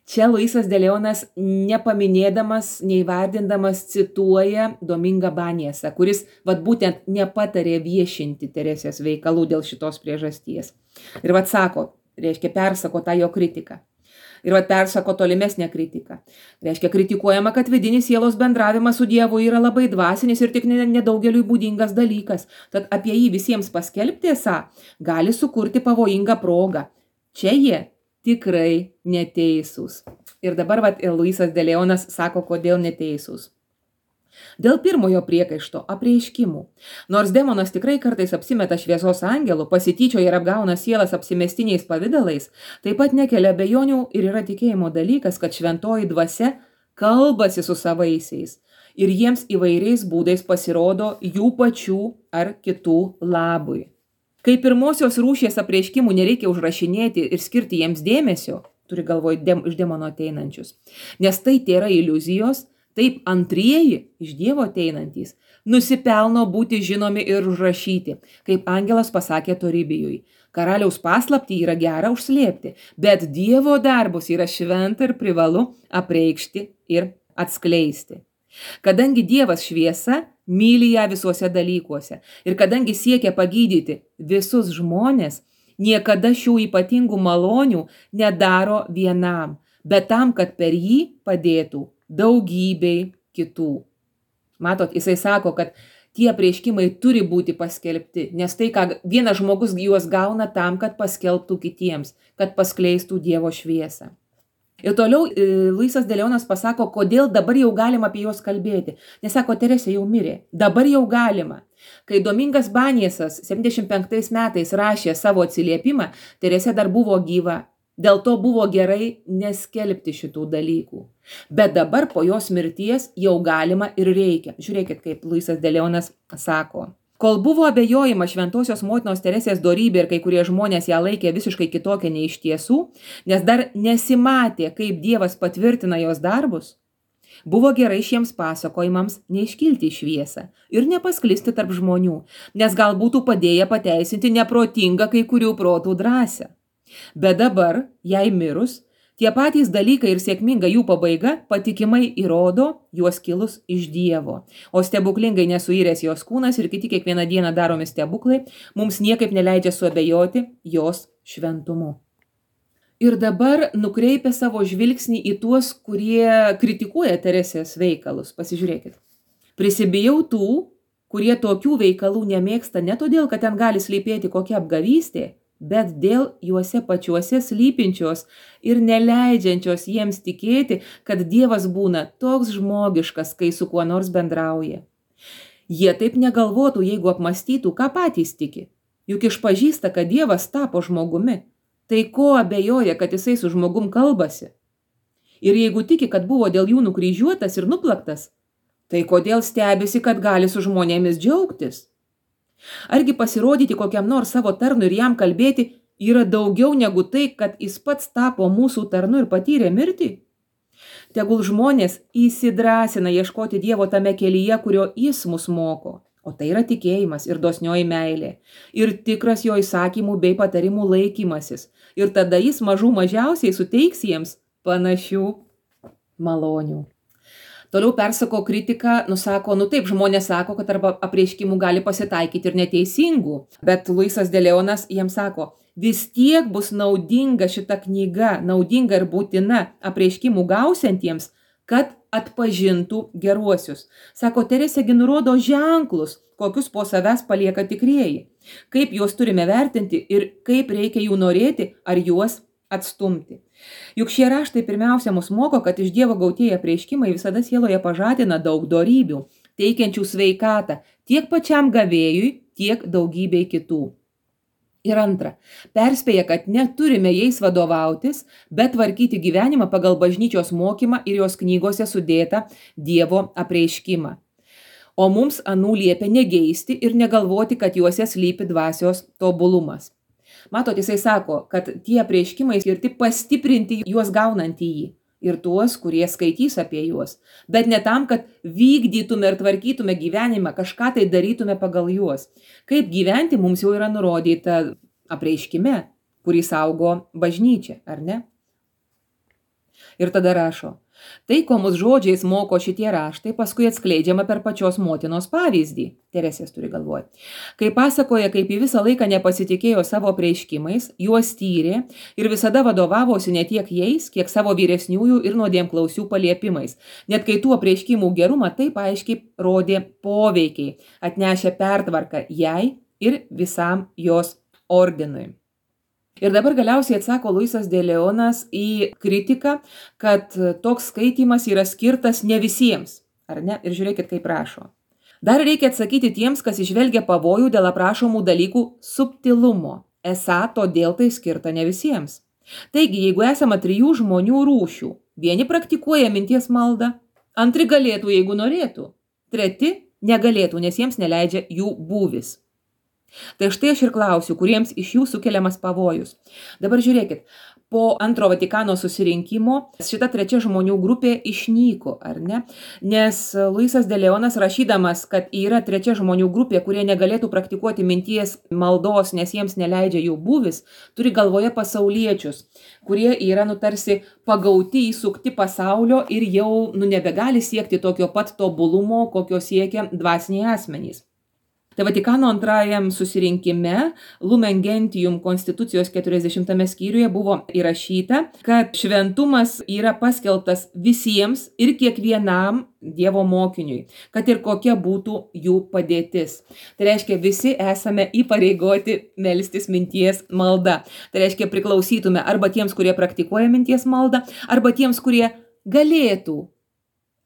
Speaker 1: Čia Luisas de Leonas nepaminėdamas, neįvardindamas cituoja Domingą Baniesą, kuris vat būtent nepatarė viešinti Teresės veikalų dėl šitos priežasties. Ir vat sako, reiškia persako tą jo kritiką. Ir vat persako tolimesnę kritiką. Reiškia kritikuojama, kad vidinis sielos bendravimas su Dievu yra labai dvasinis ir tik nedaugeliui būdingas dalykas. Tad apie jį visiems paskelbti esą gali sukurti pavojingą progą. Čia jie tikrai neteisūs. Ir dabar vat, Luisas de Leonas sako, kodėl neteisūs. Dėl pirmojo priekaišto apreiškimų. Nors demonas tikrai kartais apsimeta šviesos angelu, pasityčioja ir apgauna sielas apsimestiniais pavidalais, taip pat nekelia abejonių ir yra tikėjimo dalykas, kad šventoji dvasia kalbasi su savaisiais ir jiems įvairiais būdais pasirodo jų pačių ar kitų labui. Kai pirmosios rūšies apreiškimų nereikia užrašinėti ir skirti jiems dėmesio, turi galvoj dem, iš demono ateinančius, nes tai tėra iliuzijos, taip antrieji iš Dievo ateinantys nusipelno būti žinomi ir užrašyti, kaip angelas pasakė Toribijui. Karaliaus paslaptį yra gera užslėpti, bet Dievo darbus yra šventa ir privalu apreikšti ir atskleisti. Kadangi Dievas šviesa, myli ją visuose dalykuose ir kadangi siekia pagydyti visus žmonės, niekada šių ypatingų malonių nedaro vienam, bet tam, kad per jį padėtų daugybei kitų. Matot, jisai sako, kad tie apreiškimai turi būti paskelbti, nes tai, ką vienas žmogus juos gauna tam, kad paskelbtų kitiems, kad paskleistų Dievo šviesą. Ir toliau Luisas de Leonas pasako, kodėl dabar jau galima apie juos kalbėti. Nes sako, Teresė jau mirė. Dabar jau galima. Kai Domingas Baniesas septyniasdešimt penktais metais rašė savo atsiliepimą, Teresė dar buvo gyva. Dėl to buvo gerai neskelbti šitų dalykų. Bet dabar po jos mirties jau galima ir reikia. Žiūrėkit, kaip Luisas de Leonas sako. Kol buvo abejojama šventosios motinos Teresės dorybė ir kai kurie žmonės ją laikė visiškai kitokią nei iš tiesų, nes dar nesimatė, kaip Dievas patvirtina jos darbus, buvo gerai šiems pasakojimams neiškilti į šviesą ir nepasklisti tarp žmonių, nes gal būtų padėję pateisinti neprotingą kai kurių protų drąsą. Bet dabar, jai mirus, tie patys dalykai ir sėkminga jų pabaiga patikimai įrodo juos kilus iš Dievo. O stebuklingai nesuiręs jos kūnas ir kiti kiekvieną dieną daromi stebuklai mums niekaip neleidžia suabejoti jos šventumu. Ir dabar nukreipia savo žvilgsnį į tuos, kurie kritikuoja Teresės veikalus. Pasižiūrėkit. Prisibijau tų, kurie tokių veikalų nemėgsta ne todėl, kad ten gali slypėti kokia apgavystė, bet dėl juose pačiuose slypinčios ir neleidžiančios jiems tikėti, kad Dievas būna toks žmogiškas, kai su kuo nors bendrauja. Jie taip negalvotų, jeigu apmastytų, ką patys tiki. Juk išpažįsta, kad Dievas tapo žmogumi. Tai ko abejoja, kad jisai su žmogum kalbasi? Ir jeigu tiki, kad buvo dėl jų nukryžiuotas ir nuplaktas, tai kodėl stebisi, kad gali su žmonėmis džiaugtis? Argi pasirodyti kokiam nors savo tarnui ir jam kalbėti yra daugiau negu tai, kad jis pats tapo mūsų tarnu ir patyrė mirtį? Tegul žmonės įsidrąsina ieškoti Dievo tame kelyje, kurio jis mus moko. O tai yra tikėjimas ir dosnioji meilė. Ir tikras jo įsakymų bei patarimų laikymasis. Ir tada jis mažų mažiausiai suteiks jiems panašių malonių. Toliau persako kritiką, nusako, nu taip, žmonės sako, kad arba apreiškimų gali pasitaikyti ir neteisingų. Bet Luisas de Leonas jiems sako, vis tiek bus naudinga šita knyga, naudinga ir būtina apreiškimų gausiantiems, kad atpažintų geruosius. Sako, Teresėgi nurodo ženklus, kokius po savęs palieka tikrieji. Kaip juos turime vertinti ir kaip reikia jų norėti ar juos atstumti. Juk šie raštai pirmiausia mus moko, kad iš Dievo gautieji apreiškimai visada sieloje pažadina daug dorybių, teikiančių sveikatą tiek pačiam gavėjui, tiek daugybei kitų. Ir antra, perspėja, kad neturime jais vadovautis, bet tvarkyti gyvenimą pagal bažnyčios mokymą ir jos knygose sudėtą Dievo apreiškimą. O mums anų liepia negeisti ir negalvoti, kad juose slypi dvasios tobulumas. Matot, jisai sako, kad tie apreiškimai skirti pastiprinti juos gaunantį jį ir tuos, kurie skaitys apie juos, bet ne tam, kad vykdytume ir tvarkytume gyvenimą, kažką tai darytume pagal juos. Kaip gyventi mums jau yra nurodyta apreiškime, kurį saugo bažnyčia, ar ne? Ir tada rašo, tai, ko mus žodžiais moko šitie raštai, paskui atskleidžiama per pačios motinos pavyzdį. Teresės turi galvoje. Kai pasakoja, kaip į visą laiką nepasitikėjo savo apreiškimais, juos tyrė ir visada vadovavosi ne tiek jais, kiek savo vyresniųjų ir nuodėmklausių paliepimais. Net kai tų apreiškimų gerumą taip aiškiai rodė poveikiai, atnešė pertvarką jai ir visam jos ordinui. Ir dabar galiausiai atsako Luisas de Leonas į kritiką, kad toks skaitymas yra skirtas ne visiems, ar ne? Ir žiūrėkit, kaip rašo. Dar reikia atsakyti tiems, kas išvelgia pavojų dėl aprašomų dalykų subtilumo. Esą todėl tai skirta ne visiems. Taigi, jeigu esama trijų žmonių rūšių, vieni praktikuoja minties maldą, antri galėtų, jeigu norėtų, treti negalėtų, nes jiems neleidžia jų būvis. Tai štai aš ir klausiu, kuriems iš jų sukeliamas pavojus. Dabar žiūrėkit, po antro Vatikano susirinkimo šita trečia žmonių grupė išnyko, ar ne? Nes Luisas de Leonas rašydamas, kad yra trečia žmonių grupė, kurie negalėtų praktikuoti minties maldos, nes jiems neleidžia jų būvis, turi galvoje pasauliečius, kurie yra nu tarsi pagauti, įsukti pasaulio ir jau nu nebegali siekti tokio pat tobulumo, kokio siekia dvasiniai asmenys. Tai Vatikano antrajam susirinkime Lumen Gentium konstitucijos keturiasdešimtame skyriuje buvo įrašyta, kad šventumas yra paskelbtas visiems ir kiekvienam Dievo mokiniui, kad ir kokia būtų jų padėtis. Tai reiškia, visi esame įpareigoti melstis minties malda. Tai reiškia, priklausytume arba tiems, kurie praktikuoja minties maldą, arba tiems, kurie galėtų,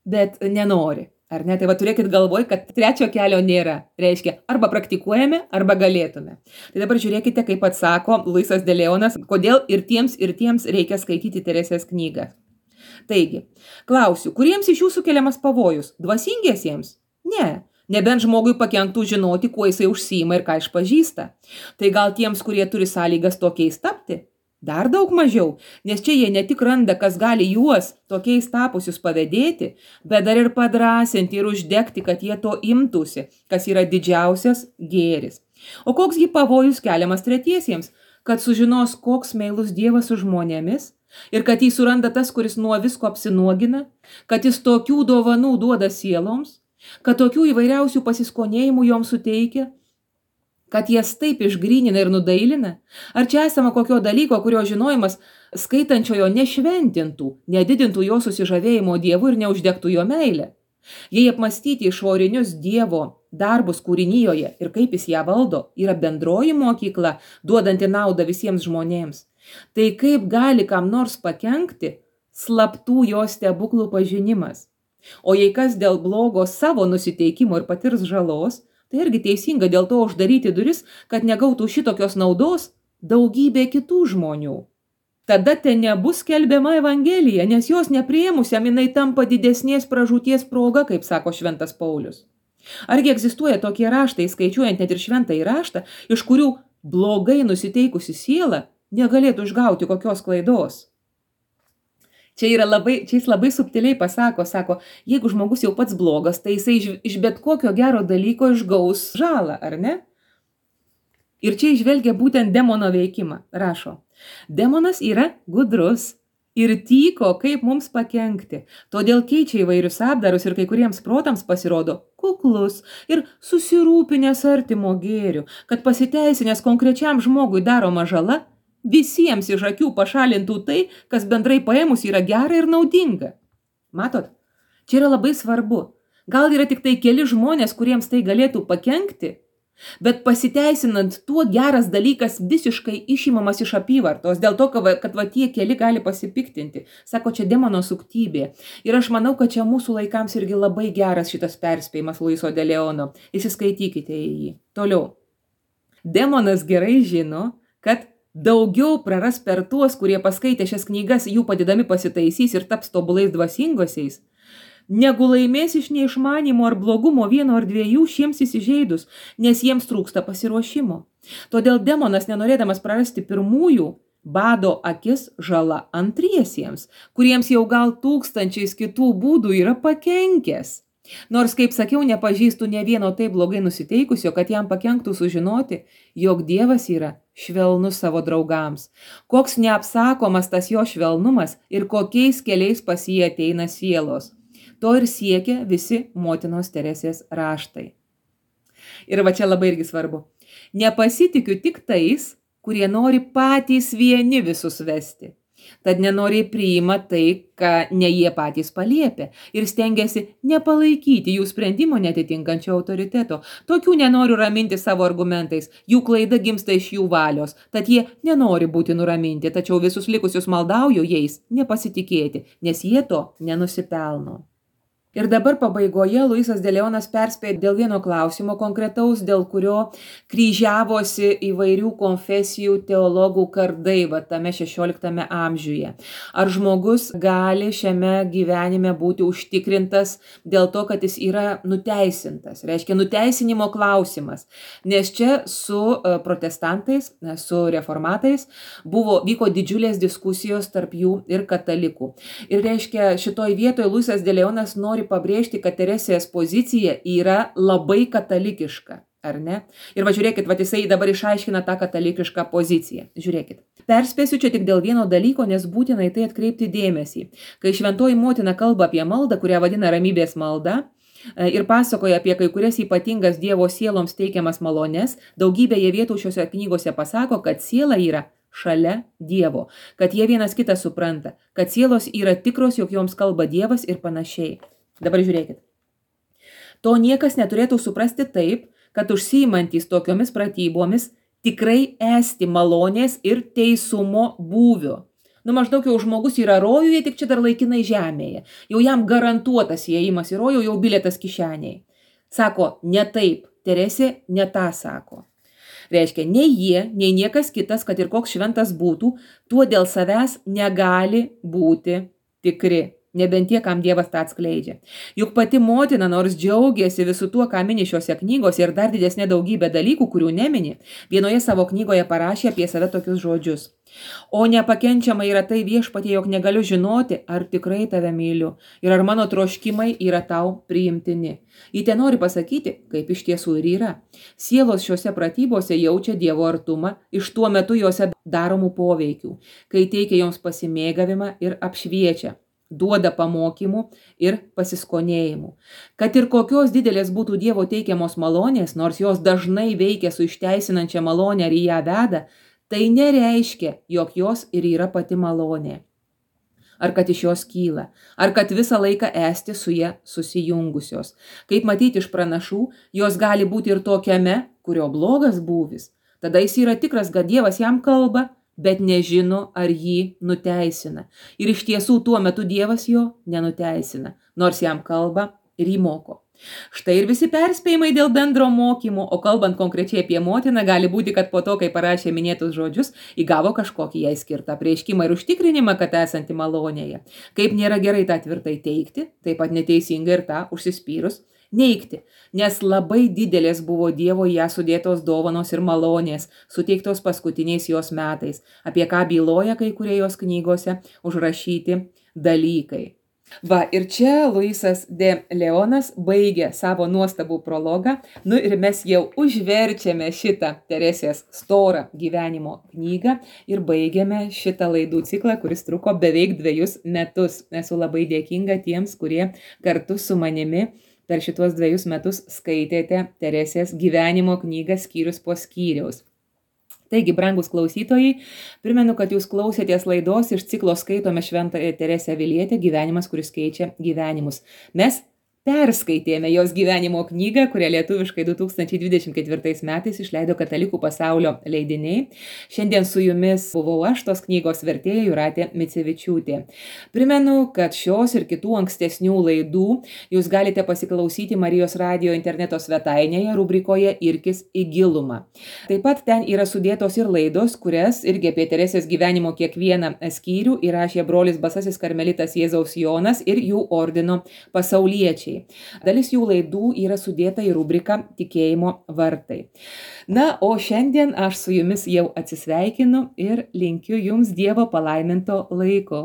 Speaker 1: bet nenori. Ar ne? Tai va turėkit galvoj, kad trečio kelio nėra. Reiškia, arba praktikuojame, arba galėtume. Tai dabar žiūrėkite, kaip atsako Luisas de Leonas, kodėl ir tiems, ir tiems reikia skaityti Teresės knygą. Taigi, klausiu, kuriems iš jų sukeliamas pavojus? Dvasingiesiems? Ne. Nebent žmogui pakenktų žinoti, kuo jisai užsiima ir ką išpažįsta. Tai gal tiems, kurie turi sąlygas tokiais tapti? Dar daug mažiau, nes čia jie ne tik randa, kas gali juos tokiais tapusius pavėdėti, bet dar ir padrasinti ir uždegti, kad jie to imtųsi, kas yra didžiausias gėris. O koksgi pavojus keliamas tretiesiems, kad sužinos, koks meilus Dievas su žmonėmis ir kad jį suranda tas, kuris nuo visko apsinuogina, kad jis tokių dovanų duoda sieloms, kad tokių įvairiausių pasiskonėjimų joms suteikia, kad jas taip išgrynina ir nudailina? Ar čia esama kokio dalyko, kurio žinojimas skaitančiojo nešventintų, nedidintų jo susižavėjimo Dievu ir neuždegtų jo meilę? Jei apmastyti išorinius Dievo darbus kūrinijoje ir kaip jis ją valdo, yra bendroji mokykla, duodanti naudą visiems žmonėms, tai kaip gali kam nors pakenkti slaptų jo stebuklų pažinimas? O jei kas dėl blogo savo nusiteikimo ir patirs žalos, tai irgi teisinga dėl to uždaryti duris, kad negautų šitokios naudos daugybė kitų žmonių. Tada ten nebus skelbiama Evangelija, nes jos nepriėmusiam jinai tampa didesnės pražūties proga, kaip sako šventas Paulius. Argi egzistuoja tokie raštai, skaičiuojant net ir šventąjį raštą, iš kurių blogai nusiteikusi siela negalėtų išgauti kokios klaidos? Čia, yra labai, čia jis labai subtiliai pasako, sako, jeigu žmogus jau pats blogas, tai jisai iš, iš bet kokio gero dalyko išgaus žalą, ar ne? Ir čia išvelgia būtent demono veikimą, rašo. Demonas yra gudrus ir tyko, kaip mums pakenkti. Todėl keičia įvairius apdarus ir kai kuriems protams pasirodo kuklus ir susirūpinęs artimo gėriu, kad pasiteisinęs konkrečiam žmogui daroma žala, visiems iš akių pašalintų tai, kas bendrai paėmus yra gera ir naudinga. Matot, čia yra labai svarbu. Gal yra tik tai keli žmonės, kuriems tai galėtų pakenkti, bet pasiteisinant tuo geras dalykas visiškai išimamas iš apyvartos, dėl to, kad va tie keli gali pasipiktinti. Sako, čia demono suktybė. Ir aš manau, kad čia mūsų laikams irgi labai geras šitas perspėjimas Luiso de Leono. Įsiskaitykite į jį. Toliau. Demonas gerai žino, kad daugiau praras per tuos, kurie paskaitė šias knygas, jų padėdami pasitaisys ir taps tobulais dvasingosiais, negu laimės iš neišmanimo ar blogumo vieno ar dviejų šiems įsižeidus, nes jiems trūksta pasiruošimo. Todėl demonas, nenorėdamas prarasti pirmųjų, bado akis žala antriesiems, kuriems jau gal tūkstančiais kitų būdų yra pakenkęs. Nors, kaip sakiau, nepažįstu ne vieno taip blogai nusiteikusio, kad jam pakenktų sužinoti, jog Dievas yra švelnus savo draugams. Koks neapsakomas tas jo švelnumas ir kokiais keliais pas jį ateina sielos. To ir siekia visi motinos Teresės raštai. Ir va čia labai irgi svarbu. Nepasitikiu tik tais, kurie nori patys vieni visus vesti. Tad nenoriai priima tai, ką ne jie patys paliepia ir stengiasi nepalaikyti jų sprendimo netitinkančio autoriteto. Tokių nenoriu raminti savo argumentais, jų klaida gimsta iš jų valios, tad jie nenori būti nuraminti, tačiau visus likusius maldauju jais nepasitikėti, nes jie to nenusipelno. Ir dabar pabaigoje Luisas de Leonas perspėja dėl vieno klausimo konkretaus, dėl kurio kryžiavosi įvairių konfesijų teologų kardai, va tame šešioliktame amžiuje. Ar žmogus gali šiame gyvenime būti užtikrintas dėl to, kad jis yra nuteisintas? Reiškia, nuteisinimo klausimas. Nes čia su protestantais, su reformatais buvo, vyko didžiulės diskusijos tarp jų ir katalikų. Ir reiškia, šitoj vietoje Luisas de Leonas nori pabrėžti, kad Teresės pozicija yra labai katalikiška, ar ne? Ir va žiūrėkit, va jisai dabar išaiškina tą katalikišką poziciją. Žiūrėkit. Perspėsiu čia tik dėl vieno dalyko, nes būtinai tai atkreipti dėmesį. Kai šventoji motina kalba apie maldą, kurią vadina ramybės malda, ir pasakoja apie kai kurias ypatingas Dievo sieloms teikiamas malones, daugybėje vietų šiose knygose pasako, kad siela yra šalia Dievo, kad jie vienas kitą supranta, kad sielos yra tikros, jog joms kalba Dievas ir panašiai. Dabar žiūrėkit. To niekas neturėtų suprasti taip, kad užsiimantys tokiomis pratybomis tikrai esti malonės ir teisumo būvio. Nu, maždaug jau žmogus yra rojuje, tik čia dar laikinai žemėje. Jau jam garantuotas įėjimas į rojų, jau bilietas kišeniai. Sako, ne taip, Teresė ne tą sako. Reiškia, nei jie, nei niekas kitas, kad ir koks šventas būtų, tuo dėl savęs negali būti tikri. Nebent tie, kam Dievas tą atskleidžia. Juk pati motina, nors džiaugiasi visų tuo, ką mini šiose knygose ir dar didesnė daugybė dalykų, kurių nemini, vienoje savo knygoje parašė apie save tokius žodžius. O nepakenčiama yra tai viešpatie, jog negaliu žinoti, ar tikrai tave myliu ir ar mano troškimai yra tau priimtini. Ji te nori pasakyti, kaip iš tiesų ir yra. Sielos šiuose pratybose jaučia Dievo artumą iš tuo metu juose daromų poveikių, kai teikia joms pasimėgavimą ir apšviečia. Duoda pamokymų ir pasiskonėjimų. Kad ir kokios didelės būtų Dievo teikiamos malonės, nors jos dažnai veikia su išteisinančia malonė ar į ją veda, tai nereiškia, jog jos ir yra pati malonė. Ar kad iš jos kyla, ar kad visą laiką esti su ja susijungusios. Kaip matyti iš pranašų, jos gali būti ir tokiame, kurio blogas būvis. Tada jis yra tikras, kad Dievas jam kalba, bet nežino, ar jį nuteisina. Ir iš tiesų tuo metu Dievas jo nenuteisina, nors jam kalba ir jį moko. Štai ir visi perspėjimai dėl bendro mokymo, o kalbant konkrečiai apie motiną, gali būti, kad po to, kai parašė minėtus žodžius, įgavo kažkokį jai skirtą prieškimą ir užtikrinimą, kad esanti malonėje. Kaip nėra gerai tą tvirtai teikti, taip pat neteisinga ir tą užsispyrus neigti, nes labai didelės buvo Dievo ją sudėtos dovanos ir malonės, suteiktos paskutiniais jos metais, apie ką byloja kai kurie jos knygose užrašyti dalykai. Va, ir čia Luisas de Leonas baigė savo nuostabų prologą, nu ir mes jau užverčiame šitą Teresės storą gyvenimo knygą ir baigėme šitą laidų ciklą, kuris truko beveik dviejus metus. Esu labai dėkinga tiems, kurie kartu su manimi per šituos dviejus metus skaitėte Teresės gyvenimo knygą skyrius po skyriaus. Taigi, brangus klausytojai, primenu, kad jūs klausėtės laidos iš ciklo Skaitome Šventąją Teresę Avilietę gyvenimas, kuris keičia gyvenimus. Mes perskaitėme jos gyvenimo knygą, kurią lietuviškai du tūkstančiai dvidešimt ketvirtais metais išleido Katalikų pasaulio leidiniai. Šiandien su jumis buvau aš, tos knygos vertėja Jūratė Micevičiūtė. Primenu, kad šios ir kitų ankstesnių laidų jūs galite pasiklausyti Marijos radijo interneto svetainėje rubrikoje Irkis į gilumą. Taip pat ten yra sudėtos ir laidos, kurias irgi apie Teresės gyvenimo kiekvieną skyrių įrašė brolis Basasis karmelitas Jėzaus Jonas ir jų ordino pasauliečiai. Dalis jų laidų yra sudėta į rubriką Tikėjimo vartai. Na, o šiandien aš su jumis jau atsisveikinu ir linkiu jums Dievo palaiminto laiko.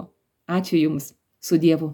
Speaker 1: Ačiū jums. Su Dievu.